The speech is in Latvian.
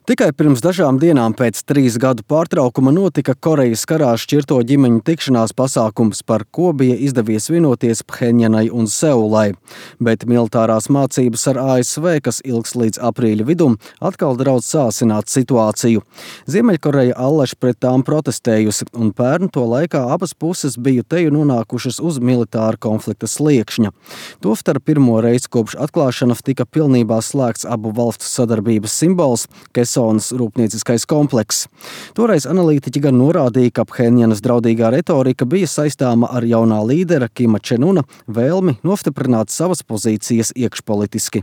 Tikai pirms dažām dienām pēc 3 gadu pārtraukuma notika Korejas karā šķirto ģimeņu tikšanās pasākums, par ko bija izdevies vienoties Phenjanai un Seulai. Bet militārās mācības ar ASV, kas ilgs līdz aprīļa vidum, atkal draudz sāsināt situāciju. Ziemeļkoreja allaž pret tām protestējusi, un pērn to laikā abas puses bija teju nonākušas uz militāra konflikta sliekšņa. Tostarp pirmo reizi kopš atklāšanas tika pilnībā slēgts abu valstu sadarbības simbols – Kesonas rūpnieciskais komplekss. Toreiz analītiķi gan norādīja, ka Phenjanas draudīgā retorika bija saistāma ar jaunā līdera Kima Čen Una vēlmi nostiprināt savas pozīcijas iekšpolitiski.